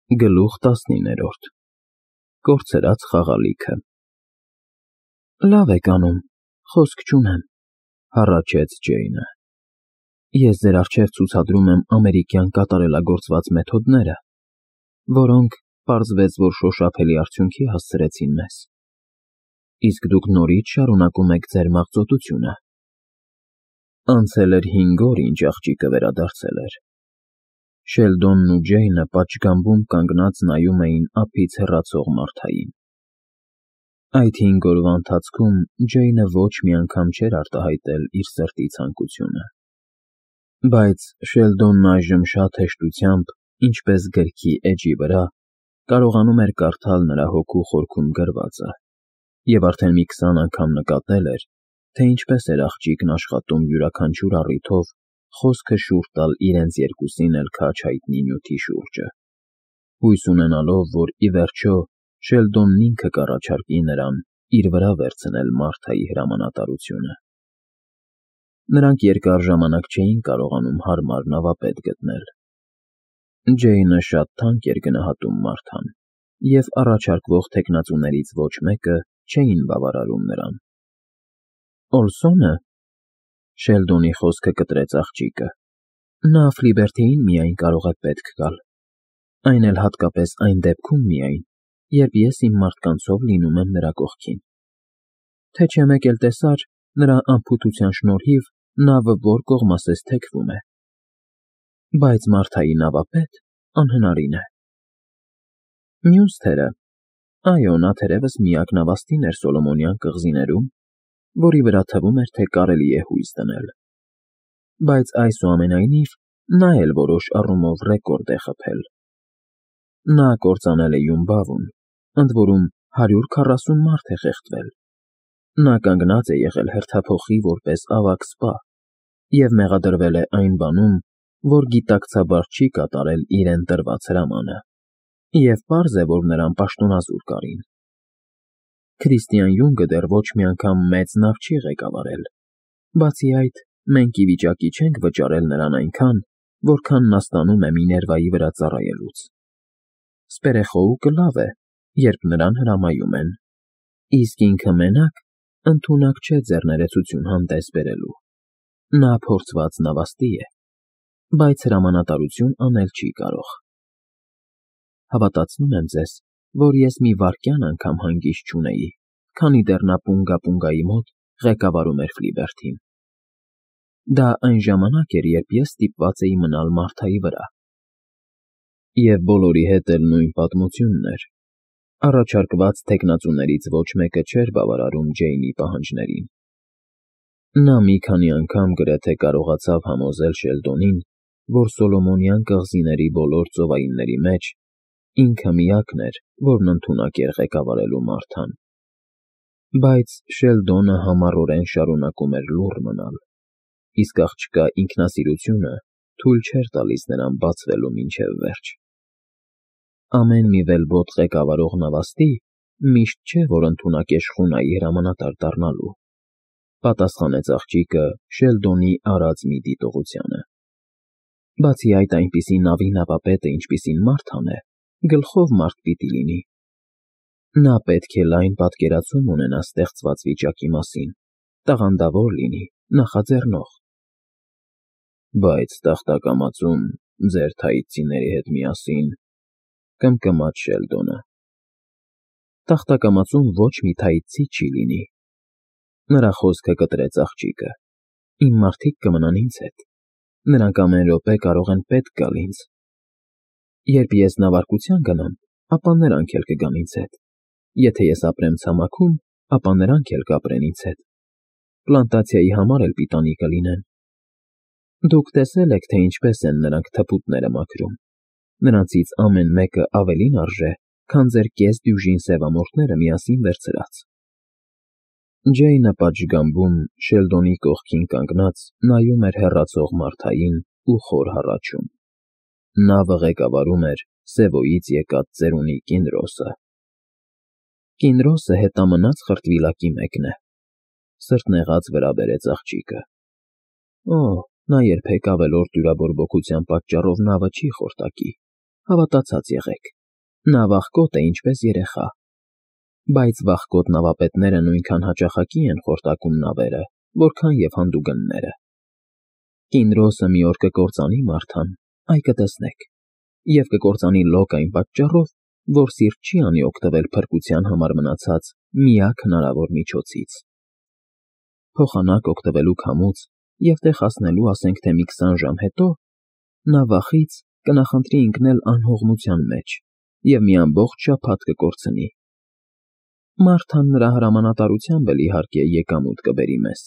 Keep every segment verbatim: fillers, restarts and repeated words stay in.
Գլուխ տասնիններորդ Կորցրած խաղալիքը Լավ եք անում, խոսք չունեմ, հառաչեց Ջեյնը։ Ես ձեր առջև ցուցադրում եմ ամերիկյան կատարելագործված մեթոդները, որոնք, պարզվեց, որ շոշափելի արդյունքի հասցրեցին մեզ։ Իսկ դուք նորից շարունակում եք ձեր մաղձոտությունը։ Անցել էր հինգ օր, ինչ աղջիկը վերադարձել էր։ Շելդոնն ու Ջեյնը պատշգամբում կանգնած նայում էին ափից հեռացող Մարթային։ Այդ հինգ օրվա ընթացքում Ջեյնը ոչ մի անգամ չէր արտահայտել իր սրտի ցանկությունը։ Բայց Շելդոնն այժմ շատ հեշտությամբ, ինչպես գրքի էջի վրա, կարողանում էր կարդալ նրա հոգու խորքում գրվածը, և արդեն մի քսան անգամ նկատել էր, թե ինչպես էր աղջիկն աշխատում յուրաքանչյուր առիթով խոսքը շուռ տալ իրենց երկուսին էլ քաջ հայտնի նյութի շուրջը, հույս ունենալով, որ, ի վերջո, Շելդոնն ինքը կառաջարկի նրան իր վրա վերցնել Մարթայի հրամանատարությունը։ Նրանք երկար ժամանակ չէին կարողանում հարմար նավապետ գտնել։ Ջեյնը շատ թանկ էր գնահատում Մարթան, և առաջարկվող թեկնածուներից ոչ մեկը չէին բավարարում նրան։ Օլսո՞նը։ Շելդոնի խոսքը կտրեց աղջիկը։ Նա Ֆլիբերթիին միայն կարող է պետք գալ, այն էլ հատկապես այն դեպքում միայն, երբ ես իմ մարդկանցով լինում եմ նրա կողքին։ Թե չէ մեկ էլ տեսար, նրա անփութության շնորհիվ նավը որ կողմասես թեքվում է։ Բայց Մարթայի նավապետ անհնարին է։ Մյուս թերը, այո, նա թերևս միակ նավաստին էր Սոլոմոնյան կղզիներում, որի վրա թվում էր, թե կարելի է հույս դնել։ Բայց այսուամենայնիվ նա էլ որոշ առումով ռեկորդ է խփել։ Նա կործանել է Յումբավուն, ընդ որում հարյուր քառասուն մարդ է խեղդվել։ Նա կանգնած է եղել հերթափոխի որպես ավագ սպա և մեղադրվել է այն բանում, որ գիտակցաբար չի կատարել իրեն տրված հրամանը, և պարզ է, որ նրան պաշտոնազուր կարին։ Քրիստիան Յունգը դեռ ոչ մի անգամ մեծ նավ չի ղեկավարել, բացի այդ, մենք ի վիճակի չենք վճարել նրան այնքան, որքան նա ստանում է Միներվայի վրա ծառայելուց։ Սպերեխոուկը լավ է, երբ նրան հրամայում են, իսկ ինքը մենակ ընդունակ չէ ձեռներեցություն հանդես բերելու։ Նա փորձված նավաստի է, բայց հրամանատարություն անել չի կարող։ Հավատացնում եմ ձեզ, որ ես մի վայրկյան անգամ հանգիստ չունեի, քանի դեռ նա Պունգա֊Պունգայի մոտ ղեկավարում էր Ֆլիբերթին։ Դա այն ժամանակ էր, երբ ես ստիպված էի մնալ Մարթայի վրա։ Եվ բոլորի հետ էլ նույն պատմությունն էր։ Առաջարկված թեկնածուներից ոչ մեկը չէր բավարարում Ջեյնի պահանջներին։ Նա մի քանի անգամ գրեթե կարողացավ համոզել Շելդոնին, որ Սոլոմոնյան կղզիների բոլոր ծովայինների մեջ ինքը միակն էր, որն ընդունակ էր ղեկավարելու Մարթան։ Բայց Շելդոնը համառորեն շարունակում էր լուռ մնալ, իսկ աղջկա ինքնասիրությունը թույլ չէր տալիս նրան բացվելու մինչև վերջ։ Ամեն մի վելբոտ ղեկավարող նավաստի միշտ չէ, որ ընդունակ է շխունայի հրամանատար դառնալու, պատասխանեց աղջիկը Շելդոնի արած մի դիտողությանը։ Բացի այդ, այնպիսի նավի նավապետը, ինչպիսին Մարթան է, գլխով մարդ պիտի լինի։ Նա պետք է լայն պատկերացում ունենա ստեղծված վիճակի մասին, տաղանդավոր լինի, նախաձեռնող։ Բայց տախտակամածում ձեր թայծիների հետ միասին, կմկմաց Շելդոնը։ Տախտակամածում ոչ մի թայծի չի լինի։ Նրա խոսքը կտրեց աղջիկը։ Իմ մարդիկ կմնան ինձ հետ։ Նրանք ամեն րոպե կարող են պետք գալ ինձ։ Երբ ես նավարկության գնամ, ապա նրանք էլ կգան ինձ հետ։ Եթե ես ապրեմ ցամաքում, ապա նրանք էլ կապրեն ինձ հետ։ Պլանտացիայի համար էլ պիտանի կլինեն։ Դուք տեսել եք, թե ինչպես են նրանք թփուտները մաքրում։ Նրանցից ամեն մեկը ավելին արժե, քան ձեր կես դյուժին սևամորթները միասին վերցրած։ Ջեյնը պատշգամբում Շելդոնի կողքին կանգնած նայում էր հեռացող Մարթային ու խոր հառաչում։ Նավը ղեկավարում էր Սևոյից եկած ծերունի Կինրոսը։ Կինրոսը հետամնաց խրտվիլակի մեկն է, սրտնեղած վրա բերեց աղջիկը։ Օ, նա երբեք ավելորդ դյուրաբորբոքության պատճառով նավը չի խորտակի, հավատացած եղեք։ Նա վախկոտ է ինչպես երեխա, բայց վախկոտ նավապետները նույնքան հաճախակի են խորտակում նավերը, որքան և հանդուգնները։ Կինրոսը մի օր կկործանի Մարթան, այ կտեսնեք, և կկործանի լոկ այն պատճառով, որ սիրտ չի անի օգտվել փրկության համար մնացած միակ հնարավոր միջոցից։ Փոխանակ օգտվելու քամուց և տեղ հասնելու ասենք թե մի քսան ժամ հետո նա վախից կնախընտրի ընկնել անհողմության մեջ և մի ամբողջ շաբաթ կկորցնի։ Մարթան նրա հրամանատարությամբ էլ իհարկե եկամուտ կբերի մեզ,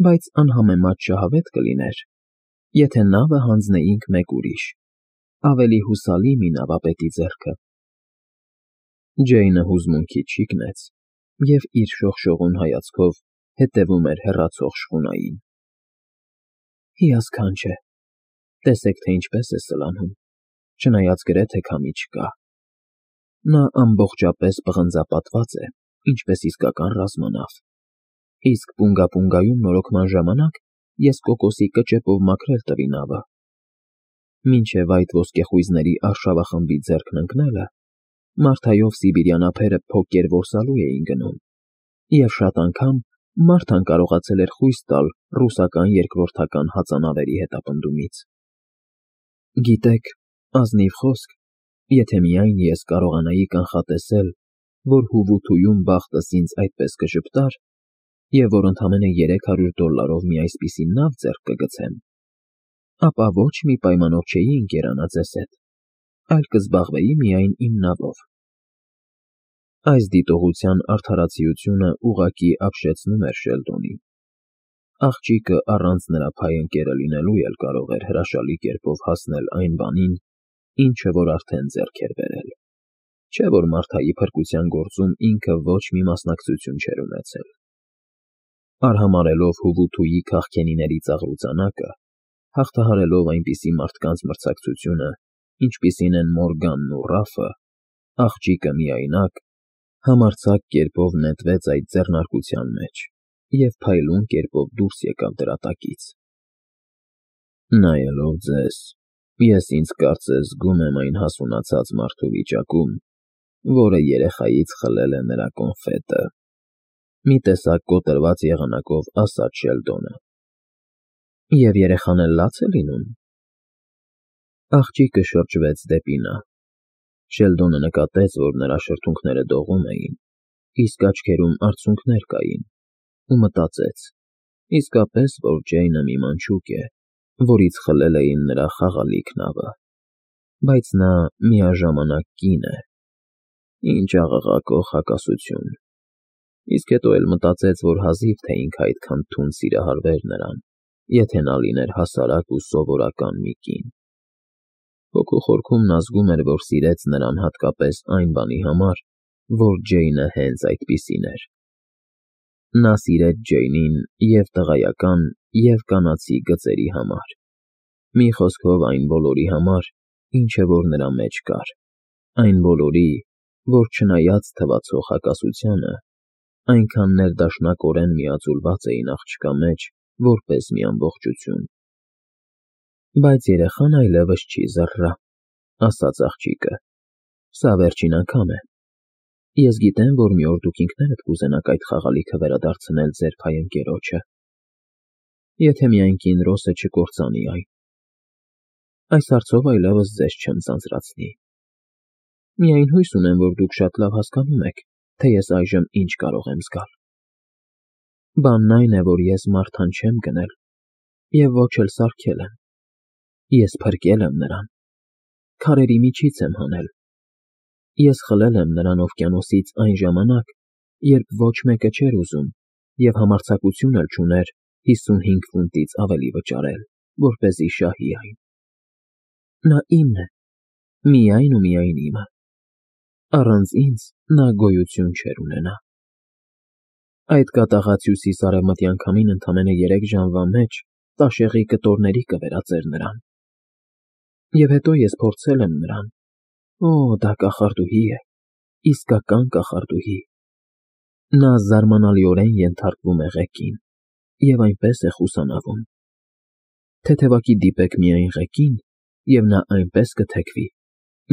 բայց անհամեմատ շահավետ կլիներ, եթե նավը հանձնեինք մեկ ուրիշ, ավելի հուսալի մի նավապետի ձեռքը։ Ջեյնը հուզմունքից շիկնեց և իր շողշողուն հայացքով հետևում էր հեռացող շխունային։ Հիասքանչ է, տեսեք, թե ինչպես է սլանում, չնայած գրեթե քամի չկա։ Նա ամբողջապես պղնձապատված է, ինչպես իսկական ռազմանավ, իսկ պունգա֊պունգայում նորոգման ժամանակ ես կոկոսի կճեպով մաքրել տվի նավը։ Մինչև այդ ոսկեխույզների արշավախմբի ձեռքն ընկնելը Մարթայով սիբիրյան ափերը փոկեր որսալու էին գնում, և շատ անգամ Մարթան կարողացել էր խույս տալ ռուսական երկրորդական հածանավերի հետապնդումից։ Գիտեք, ազնիվ խոսք, եթե միայն ես կարողանայի կանխատեսել, որ հուվութույում բախտս ինձ այդպես կժպտար, և որ ընդամենը երեք հարյուր դոլարով մի այսպիսի նավ ձեռք կգցեմ, ապա ոչ մի պայմանով չէի ընկերանա ձեզ հետ, այլ կզբաղվեի միայն իմ նավով։ Այս դիտողության արդարացիությունը ուղղակի ապշեցնում էր Շելդոնին։ Աղջիկը առանց նրա փայընկերը լինելու էլ կարող էր հրաշալի կերպով հասնել այն բանին, ինչը որ արդեն ձեռք էր բերել, չէ՞ որ Մարթայի փրկության գործում ինքը ոչ մի մասնակցություն չէր ունեցել։ Արհամարհելով հուվութուի քաղքենիների ծաղրուծանակը, հաղթահարելով այնպիսի մարդկանց մրցակցությունը, ինչպիսին են Մորգանն ու Ռաֆը, աղջիկը միայնակ, համարձակ կերպով նետվեց այդ ձեռնարկության մեջ և փայլուն կերպով դուրս եկավ դրա տակից։ Նայելով ձեզ, ես ինձ կարծես զգում եմ այն հասունացած մարդու վիճակում, որը երեխայից խլել է նրա կոնֆետը, մի տեսակ կոտրված եղանակով ասաց Շելդոնը։ Եվ երեխան էլ լաց է լինում։ Աղջիկը շրջվեց դեպի նա։ Շելդոնը նկատեց, որ նրա շրթունքները դողում էին, իսկ աչքերում արցունքներ կային, ու մտածեց. իսկապես, որ Ջեյնը մի մանչուկ է, որից խլել էին նրա խաղալիք նավը, բայց նա միաժամանակ կին է։ Ինչ աղաղակող հակասություն։ Իսկ հետո էլ մտածեց, որ հազիվ թե ինքը այդքան թունդ սիրահարվեր նրան, եթե նա լիներ հասարակ ու սովորական մի կին։ Հոգու խորքում նա զգում էր, որ սիրեց նրան հատկապես այն բանի համար, որ Ջեյնը հենց այդպիսին էր։ Նա սիրեց Ջեյնին և տղայական, և կանացի գծերի համար, մի խոսքով այն բոլորի համար, ինչը որ նրա մեջ կար, այն բոլորի, որ չնայած թվացող հակասությանը, այնքան ներդաշնակորեն միաձուլված էին աղջկա մեջ, որպես մի ամբողջություն։ Բայց երեխան այլևս չի զռռա, ասաց աղջիկը, սա վերջին անգամ է։ Ես գիտեմ, որ մի օր դուք ինքներդ կուզենաք այդ խաղալիքը վերադարձնել ձեր փայընկերոջը, եթե միայն Կինրոսը չկործանի այն։ Այս հարցով այլևս ձեզ չեմ ձանձրացնի։ Միայն հույս ունեմ, որ դուք շատ լավ հասկանում եք, թե ես այժմ ինչ կարող եմ զգալ։ Բանն այն է, որ ես Մարթան չեմ գնել և ոչ էլ սարքել եմ։ Ես փրկել եմ նրան, քարերի միջից եմ հանել։ Ես խլել եմ նրան օվկիանոսից այն ժամանակ, երբ ոչ մեկը չէր ուզում և համարձակություն էլ չուներ հիսունհինգ ֆունտից ավելի վճարել, որպեսզի շահի այն։ Նա իմն է, միայն ու միայն իմը։ Առանց ինձ նա գոյություն չէր ունենա։ Այդ կատաղած հյուսիս֊արևմտյան քամին ընդամենը երեք ժամվա մեջ տաշեղի կտորների կվերածեր նրան։ Եվ հետո ես փորձել եմ նրան։ Օ, դա կախարդուհի է, իսկական կախարդուհի։ Նա զարմանալիորեն ենթարկվում է ղեկին և այնպես է խուսանավում։ Թեթևակի դիպեք միայն ղեկին, և նա այնպես կթեքվի,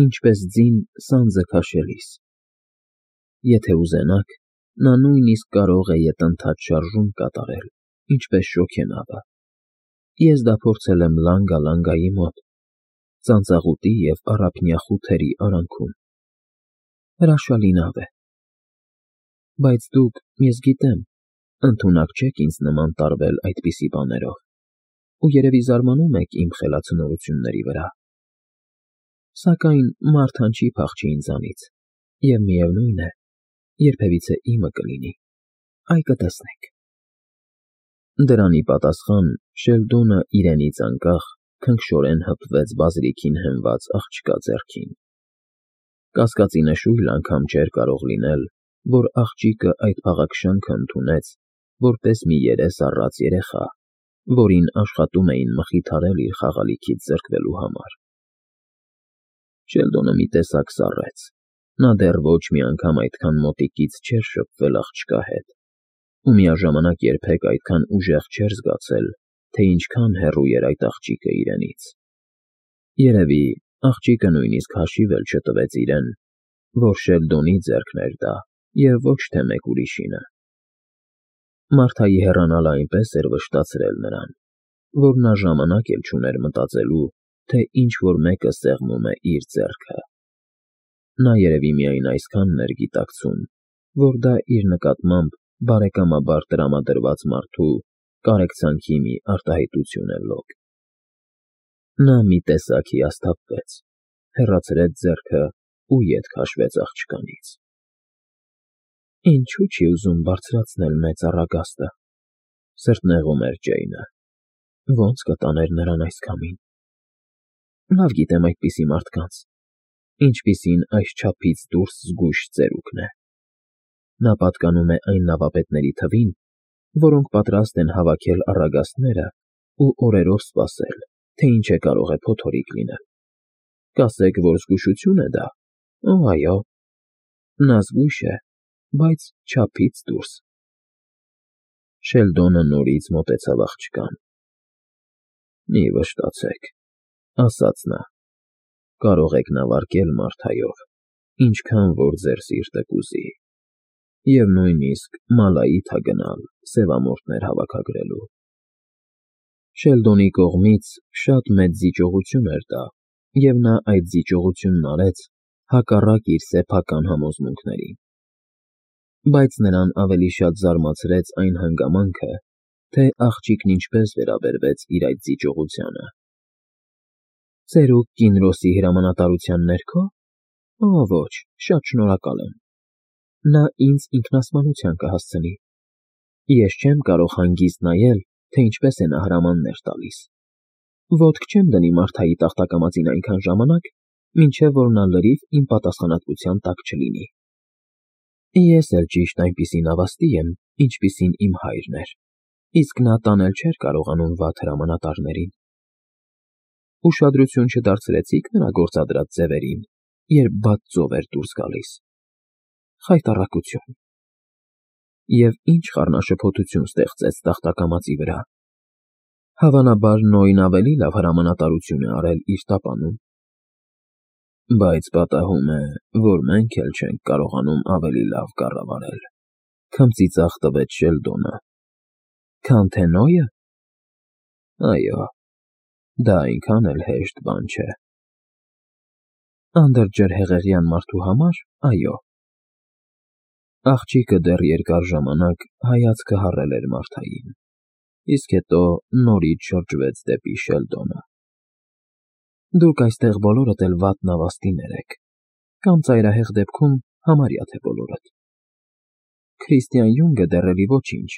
ինչպես ձին սանձը քաշելիս։ Եթե ուզենաք, նա նույնիսկ կարող է ետընթաց շարժում կատարել, ինչպես շոգենավը։ Ես դա փորձել եմ Լանգա-Լանգայի մոտ, ծանծաղուտի և առափնյա խութերի արանքում։ Հրաշալի նավ է։ Բայց դուք, ես գիտեմ, ընդունակ չեք ինձ նման տարվել այդպիսի բաներով, ու երևի զարմանում եք իմ խելացնորությունների վրա։ Սակայն մարդան չի փախչի ինձանից, և միևնույն է, երբևիցե իմը կլինի, այ կտեսնեք։ Դրան ի պատասխան Շելդոնը իրենից անկախ քնքշորեն հպվեց բազրիքին հենված աղջկա ձեռքին։ Կասկածի նշույլ անգամ չէր կարող լինել, որ աղջիկը այդ փաղաքշանքը ընդունեց որպես մի երես առած երեխա, որին աշխատում էին մխիթարել իր խաղալիքից զրկվելու համար։ Շելդոնը մի տեսակ սառեց, նա դեռ ոչ մի անգամ այդքան մոտիկից չէր շփվել աղջկա հետ, ու միաժամանակ երբեք այդքան ուժեղ չէր զգացել, թե ինչքան հեռու էր այդ աղջիկը իրենից։ Երևի աղջիկը նույնիսկ հաշիվ էլ չտվեց իրեն, որ Շելդոնի ձեռքն էր դա և ոչ թե մեկ ուրիշինը։ Մարթայի հեռանալը այնպես էր վշտացրել նրան, որ նա ժամանակ էլ չուներ մտածելու, թե ինչ֊որ մեկը սեղմում է իր ձեռքը։ Նա երևի միայն այսքանն էր գիտակցում, որ դա իր նկատմամբ բարեկամաբար տրամադրված մարդու կարեկցանքի մի արտահայտություն է լոկ։ Նա մի տեսակ հիասթափվեց, հեռացրեց ձեռքը ու ետ քաշվեց աղջկանից։ Ինչու՞ չի ուզում բարձրացնել մեծ առագաստը, սրտնեղում էր Ջեյնը, ո՞նց կտաներ նրան այս քամին։ Լավ գիտեմ այդպիսի մարդկանց, ինչպիսին այսչափից դուրս զգույշ ծերուկն է։ Նա պատկանում է այն նավապետների թվին, որոնք պատրաստ են հավաքել առագաստները ու օրերով սպասել, թե ինչ է կարող է փոթորիկ լինել։ Կասեք, որ զգուշություն է դա, օ, այո, նա զգույշ է, բայց չափից դուրս։ Շելդոնը նորից մոտեցավ աղջկան։ Մի վշտացեք, ասաց նա, կարող եք նավարկել Մարթայով, ինչքան որ ձեր սիրտը կուզի, և նույնիսկ Մալայիթա գնալ սևամորթներ հավաքագրելու։ Շելդոնի կողմից շատ մեծ զիջողություն էր դա, և նա այդ զիջողությունն արեց հակառակ իր սեփական համոզմունքներին։ Բայց նրան ավելի շատ զարմացրեց այն հանգամանքը, թե աղջիկն ինչպես վերաբերվեց իր այդ զիջողությանը։ Ծերուկ Կինրոսի հրամանատարության ներքո։ Օ, ոչ, շատ շնորհակալ եմ։ Նա ինձ ինքնասպանության կհասցնի։ Ես չեմ կարող հանգիստ նայել, թե ինչպես է նա հրամաններ տալիս։ Ոտք չեմ դնի Մարթայի տախտակամածին այնքան ժամանակ, մինչև որ նա լրիվ իմ պատասխանատվության տակ չլինի։ Ես էլ ճիշտ այնպիսի նավաստի եմ, ինչպիսին իմ հայրն էր, իսկ նա տանել չէր կարողանում վատ հրամանատարներին։ Ուշադրություն չդարձրեցի՞ք նրա գործադրած ձևերին, երբ բաց ծով էր դուրս գալիս։ Խայտառակություն։ Եվ ինչ խառնաշփոթություն ստեղծեց տախտակամածի վրա։ Հավանաբար Նոյն ավելի լավ հրամանատարություն է արել իր տապանում։ Բայց պատահում է, որ մենք էլ չենք կարողանում ավելի լավ կառավարել, քմծիծաղ տվեց Շելդոնը։ Քան թե Նոյը։ Այո, դա այնքան էլ հեշտ բան չէ։ Անդրջրհեղեղյան մարդու համար, այո։ Աղջիկը դեռ երկար ժամանակ հայացքը հառել էր Մարթային, իսկ հետո նորից շրջվեց դեպի Շելդոնը։ Դուք այստեղ բոլորդ էլ վատ նավաստիներ եք, կամ ծայրահեղ դեպքում համարյա թե բոլորդ։ Քրիստիան Յունգը դեռ էլի ոչինչ,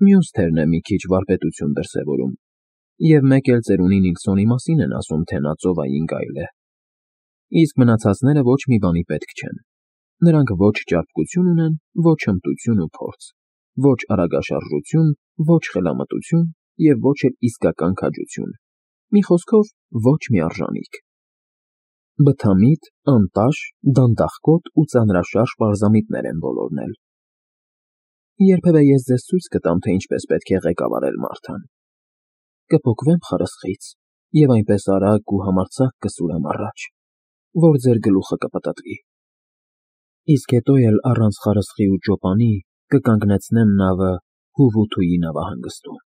մյուս թերն է մի քիչ վարպետություն դրսևորում, և մեկ էլ ծերունի Նիլսոնի մասին են ասում, թե նա ծովային գայլ է։ Իսկ մնացածները ոչ մի բանի պետք չեն։ Նրանք ոչ ճարպկություն ունեն, ոչ հմտություն ու փորձ, ոչ արագաշարժություն, ոչ խելամտություն և ոչ էլ իսկական քաջություն, մի խոսքով ոչ մի արժանիք։ Բթամիտ, անտաշ, դանդաղկոտ ու ծանրաշարժ պարզամիտներ են բոլորն էլ։ Երբևէ ես ձեզ ցույց կտամ, թե ինչպես պետք է ղեկավարել մարդան։ Կփոկվեմ խրսխից և այնպես արագ ու համարձակ կսուրեմ առաջ, որ ձեր գլուխը կպտտվի։ Իսկ հետո էլ առանց խարսխի ու ճոպանի կկանգնեցնեմ նավը Հուվութուի նավահանգստում։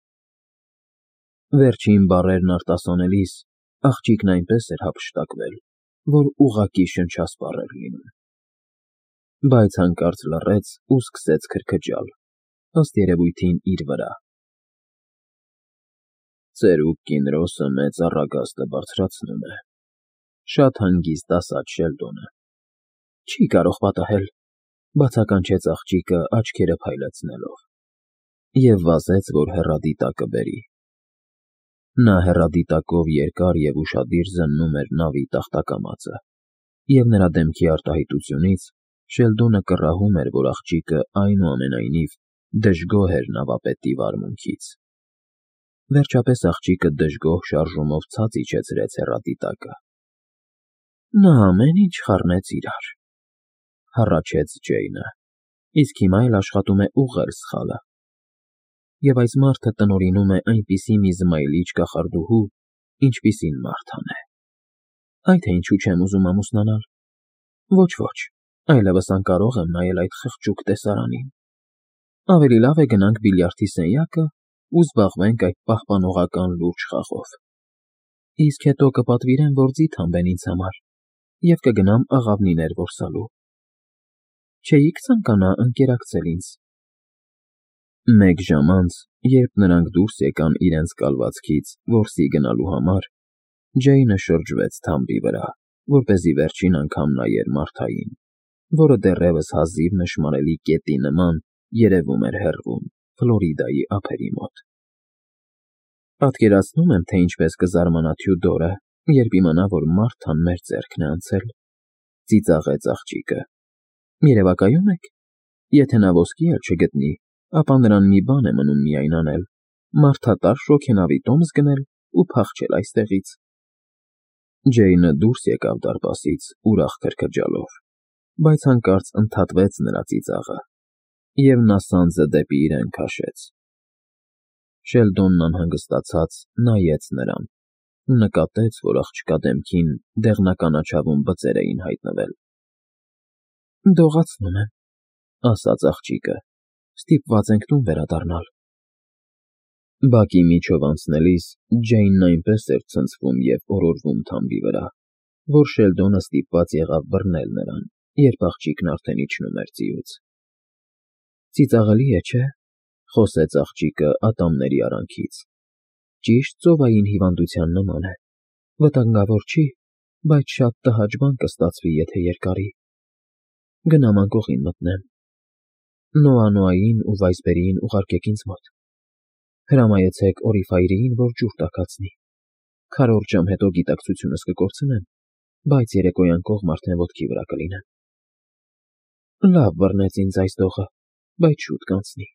Վերջին բառերն արտասանելիս աղջիկն այնպես էր հափշտակվել, որ ուղղակի շնչասպառ էր լինում։ Բայց հանկարծ լռեց ու սկսեց քրքջալ, ըստ երևույթին իր վրա։ Ծերուկ Կինրոսը մեծ առագաստը բարձրացնում է, շատ հանգիստ ասաց Շելդոնը։ Չի կարող պատահել, բացականչեց աղջիկը աչքերը փայլեցնելով, և վազեց, որ հեռադիտակը բերի։ Նա հեռադիտակով երկար և ուշադիր զննում էր նավի տախտակամածը, և նրա դեմքի արտահայտությունից Շելդոնը կռահում էր, որ աղջիկը այնուամենայնիվ դժգոհ էր նավապետի վարմունքից։ Վերջապես աղջիկը դժգոհ շարժումով ցած իջեցրեց հեռադիտակը։ Նա ամեն ինչ խառնեց իրար, հառաչեց Ջեյնը, իսկ հիմա էլ աշխատում է ուղղել սխալը։ Եվ այս մարդը տնօրինում է այնպիսի մի զմայլիչ կախարդուհու, ինչպիսին Մարթան է։ Այ թե ինչու չեմ ուզում ամուսնանալ։ Ոչ, ոչ, այլևս անկարող եմ նայել այդ խղճուկ տեսարանին։ Ավելի լավ է գնանք բիլիարդի սենյակը ու զբաղվենք այդ պահպանողական լուրջ խաղով։ Իսկ հետո կպատվիրեմ, որ ձիթ հանբեն ինձ համար, և կգնամ աղավնիներ որսալու։ Չէի՞ք ցանկանա ընկերակցել ինձ։ Մեկ ժամ անց, երբ նրանք դուրս եկան իրենց կալվածքից որսի գնալու համար, Ջեյնը շրջվեց թամբի վրա, որպեսզի վերջին անգամ նայեր Մարթային, որը դեռևս հազիվ նշմարելի կետի նման երևում էր հեռվում, Ֆլորիդայի ափերի մոտ։ Պատկերացնում եմ, թե ինչպես կզարմանա Թյուդորը, երբ իմանա, որ Մարթան մեր ձեռքն է անցել, ծիծաղեց աղջիկը։ Երևակայո՞ւմ եք։ Եթե նա ոսկի էլ չգտնի, ապա նրան մի բան է մնում միայն անել՝ մարդատար շոգենավի տոմս գնել ու փախչել այստեղից։ Ջեյնը դուրս եկավ դարպասից ուրախ քրքջալով, բայց հանկարծ ընդհատվեց նրա ծիծաղը, և նա սանձը դեպի իրեն քաշեց։ Շելդոնն անհանգստացած նայեց նրան ու նկատեց, որ աղջկա դեմքին դեղնականաչավուն բծեր էին հայտնվել։ Դողացնում եմ, ասաց աղջիկը, ստիպված ենք տուն վերադառնալ։ Բակի միջով անցնելիս Ջեյնն այնպես էր ցնցվում և օրորվում թամբի վրա, որ Շելդոնը ստիպված եղավ բռնել նրան, երբ աղջիկն արդեն իջնում էր ձիուց։ Ծիծաղելի է, չէ՞, խոսեց աղջիկը ատամների արանքից։ Ճիշտ ծովային հիվանդության նման է։ Վտանգավոր չի, բայց շատ տհաճ բան կստացվի, եթե երկարի։ Գնամ անկողին մտնեմ։ Նոա֊Նոային ու Վայսբերիին ուղարկեք ինձ մոտ։ Հրամայեցեք Օրիֆայրիին, որ ջուր տաքացնի։ Քառորդ ժամ հետո գիտակցությունս կկորցնեմ, բայց երեկոյան կողմ արդեն ոտքի վրա կլինեմ։ Լավ բռնեց ինձ այս դողը, բայց շուտ կանցնի։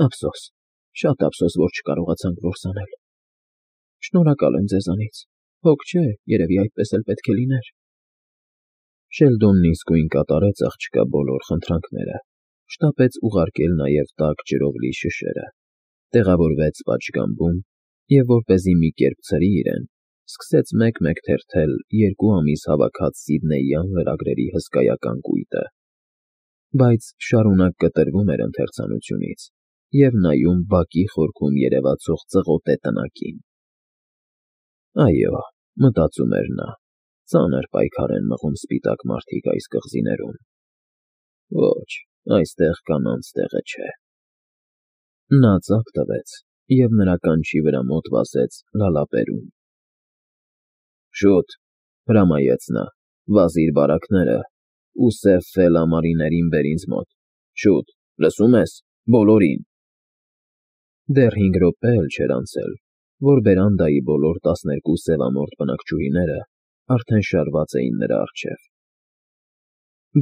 Ափսոս, շատ ափսոս, որ չկարողացանք որս անել։ Շնորհակալ եմ ձեզանից, հոգ չէ, երևի այդպես էլ պետք է լիներ։ Շելդոնն իսկույն կատարեց աղջկա բոլոր խնդրանքները, շտապեց ուղարկել նաև տաք ջրով լի շշերը, տեղավորվեց պատշգամբում և, որպեսզի մի կերպ ցրի իրեն, սկսեց մեկ֊մեկ թերթել երկու ամիս հավաքած Սիդնեյյան լրագրերի հսկայական կույտը, բայց շարունակ կտրվում էր ընթերցանությունից և նայում բակի խորքում երևացող ծղոտե տնակին։ Այո, մտածում էր նա, ծանր պայքար են մղում սպիտակ մարդիկ այս կղզիներում։ Ոչ, այստեղ կանանց տեղը չէ։ Նա ծափ տվեց և նրա կանչի վրա մոտ վազեց լալապերուն։ Շուտ, հրամայեց նա, վազիր բարակները ու սև ֆել ամառիներին բեր ինձ մոտ, շուտ, լսում ես, բոլորին։ Դեռ հինգ րոպե էլ չէր անցել, որ բերանդայի բոլոր տասներկու սևամորթ բնակչուհիները արդեն շարված էին նրա առջև։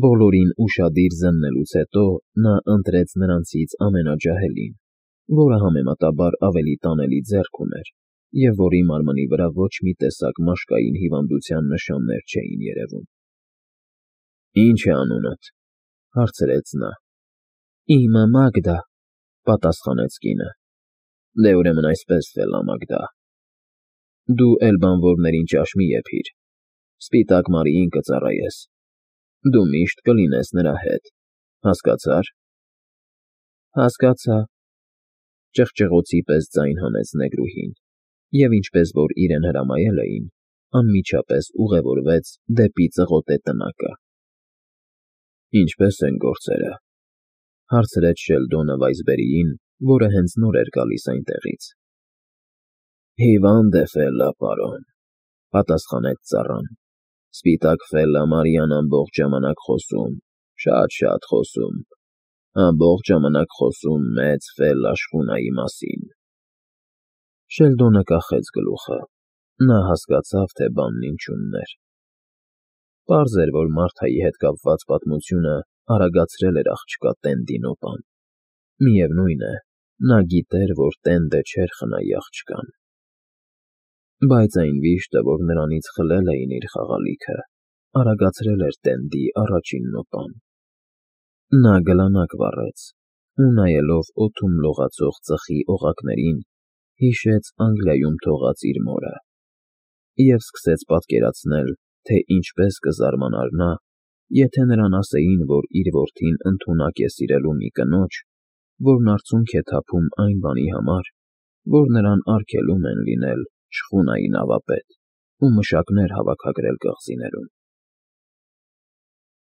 Բոլորին ուշադիր զննելուց հետո նա ընտրեց նրանցից ամենաջահելին, որը համեմատաբար ավելի տանելի ձեռք ուներ և որի մարմնի վրա ոչ մի տեսակ մաշկային հիվանդության նշաններ չէին երևում։ Ի՞նչ է անունդ, հարցրեց նա։ Իմը Մագդա, պատասխանեց կինը։ Դե ուրեմն այսպես, Ֆելա Մագդա, դու էլ բանվորներին ճաշ մի եփիր, Սպիտակ Մարիին կծառայես։ Դու միշտ կլինես նրա հետ, հասկացա՞ր։ Հասկացա, ճղճղոցի պես ձայն հանեց նեգրուհին, և ինչպես որ իրեն հրամայել էին, անմիջապես ուղևորվեց դեպի ծղոտե տնակը։ Ինչպե՞ս են գործերը, հարցրեց Շելդոնը Վայսբերիին, որը հենց նոր էր գալիս այնտեղից։ Հիվանդ է Ֆելլա, պարոն, պատասխանեց ծառան։ Սպիտակ Ֆելլա Մարիան ամբողջ ժամանակ խոսում, շատ֊շատ խոսում, ամբողջ ժամանակ խոսում մեծ Ֆելլա շխունայի մասին։ Շելդոնը կախեց գլուխը, նա հասկացավ, թե բանն ինչումն էր։ Պարզ էր, որ Մարթայի հետ կապված պատմությունը արագացրել էր աղջկա Տենդի նոպան։ Միևնույն է, նա գիտեր, որ Տենդը չէր խնայի աղջկան։ Բայց այն վիշտը, որ նրանից խլել էին իր խաղալիքը, արագացրել էր Տենդի առաջին նոպան։ Նա գլանակ վառեց ու, նայելով օդում լողացող ծխի օղակներին, հիշեց Անգլիայում թողած իր մորը և սկսեց պատկերացնել, թե ինչպես կզարմանար նա, եթե նրան ասեին, որ իր որդին ընդունակ է սիրելու մի կնոջ, որն արցունք է թափում այն բանի համար, որ նրան արգելում են լինել շխունայի նավապետ ու մշակներ հավաքագրել կղզիներում։